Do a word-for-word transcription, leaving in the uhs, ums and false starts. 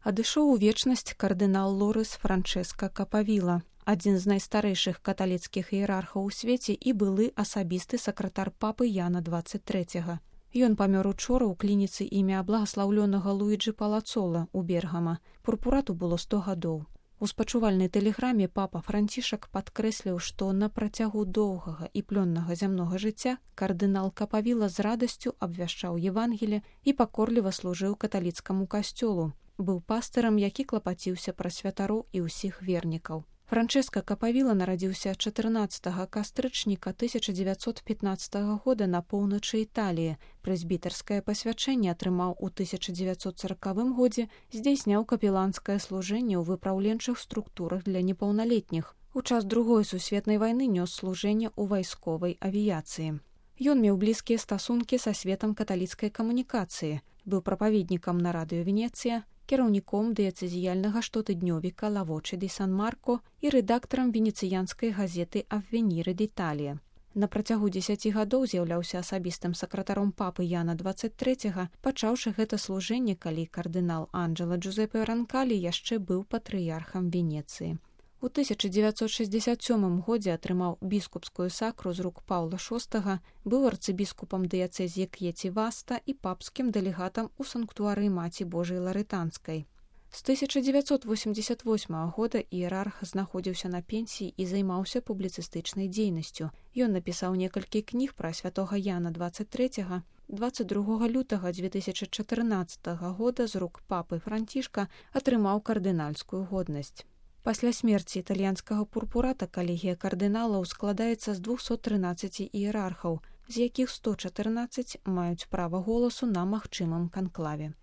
Адышоў у вечнасць кардынал Лорыс Франчэска Капавіла, адзін з найстарэйшых каталіцкіх іерархаў у свеце і былы асабісты сакратар папы Яна дваццаць трэцяга. Ён памёр учора ў клініцы імя благаслаўлёнага Луіджы Палацола ў Бергама. Пурпурату было сто гадоў. У спачувальнай тэлеграме папа Францішак падкрэсліў, што на працягу доўгага і плённага зямнога жыцця кардынал Капавіла з радасцю абвяшчаў Евангелле і пакорліва служыў каталіцкаму касцёлу. Быў пастырам, які клапаціўся пра святароў і ўсіх вернікаў. Франчэска Капавіла нарадзіўся чатырнаццатага кастрычніка тысяча дзевяцьсот пятнаццатага года на поўначы Італіі. Прэзбітарскае пасвячэнне атрымаў у тысяча дзевяцьсот саракавым годзе, здзяйсняў капеланскае служэнне ў выпраўленчых структурах для непаўналетніх. У час другой сусветнай вайны нёс служэнне ў вайсковай авіяцыі. Ён меў блізкія стасункі са светам каталіцкай камунікацыі, быў прапаведнікам на радыё Венецыя, кіраўніком дыяцэзіяльнага штотыднёвіка «Ла Воче ди Сан Марко» і рэдактарам венецыянскай газеты «Аввеніры d'Італія». На працягу дзесяці гадоў з'яўляўся асабістым сакратаром папы Яна дваццаць трэцяга, пачаўшы гэта служэнне, калі кардынал Анджэло Джузепе Ранкалі яшчэ быў патрыярхам Венецыі. У тысяча дзевяцьсот шэсцьдзесят сёмым годзе атрымаў біскупскую сакру з рук Паўла шостага, быў арцыбіскупам дыяцэзіі К'еці-Васта і папскім дэлегатам у санктуарыі Маці Божай Ларытанскай. З тысяча дзевяцьсот восемьдзесят восьмага года іерарх знаходзіўся на пенсіі і займаўся публіцыстычнай дзейнасцю. Ён напісаў некалькі кніг пра святога Яна дваццаць трэцяга. дваццаць другога лютага дзве тысячы чатырнаццатага года з рук папы Францішка атрымаў кардынальскую годнасць. Пасля смерці італьянскага пурпурата калегія кардыналаў складаецца з двухсот трынаццаці іерархаў, з якіх сто чатырнаццаць маюць права голасу на магчымым канклаве.